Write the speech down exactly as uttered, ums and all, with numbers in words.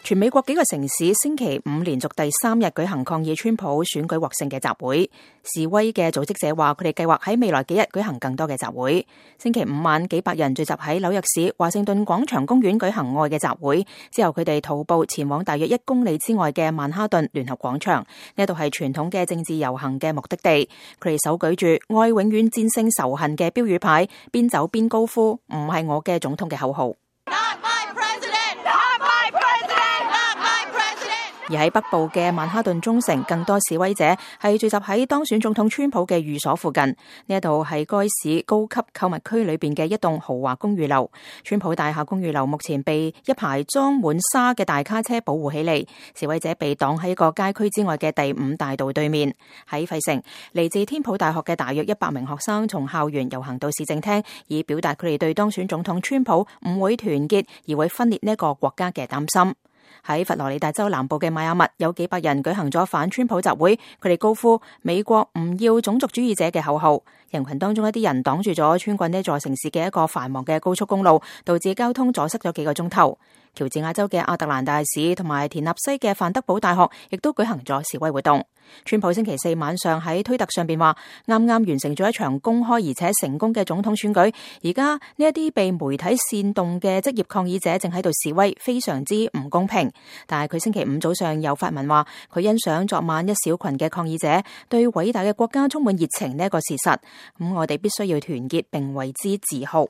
全美國幾個城市星期五連續第三日舉行抗議川普選舉獲勝嘅集會。示威嘅組織者話，佢哋計劃喺未來幾日舉行更多嘅集會。星期五晚，幾百人聚集喺紐約市華盛頓廣場公園舉行愛嘅集會，之後佢哋徒步前往大約一公里之外嘅曼哈頓聯合廣場，呢度係傳統嘅政治遊行嘅目的地。佢哋手舉住愛永遠戰勝仇恨嘅標語牌，邊走邊高呼唔係我嘅總統嘅口號。而喺北部嘅曼哈頓中城，更多示威者係聚集喺當選總統川普嘅寓所附近。呢一度係該市高級購物區裏邊嘅一棟豪華公寓樓。川普大廈公寓樓目前被一排裝滿沙嘅大卡車保護起嚟。示威者被擋喺一個街區之外嘅第五大道對面。喺費城，嚟自天普大學嘅大約一百名學生從校園遊行到市政廳，以表達佢哋對當選總統川普唔會團結而會分裂呢一個國家嘅擔心。喺佛羅里達州南部嘅邁阿密，有幾百人舉行咗反川普集會，佢哋高呼美國唔要種族主義者嘅口號。人群當中一啲人擋住咗穿過呢座城市嘅一個繁忙嘅高速公路，導致交通阻塞咗幾個鐘頭。喬治亞州嘅亞特蘭大市同埋田納西嘅范德堡大學亦都舉行咗示威活動。川普星期四晚上喺推特上邊話，啱啱完成咗一場公開而且成功嘅總統選舉，而家呢一啲被媒體煽動嘅職業抗議者正喺度示威，非常之唔公平。但係佢星期五早上又發文話，佢欣賞昨晚一小群嘅抗議者對偉大嘅國家充滿熱情呢一個事實，咁我哋必須要團結並為之自豪。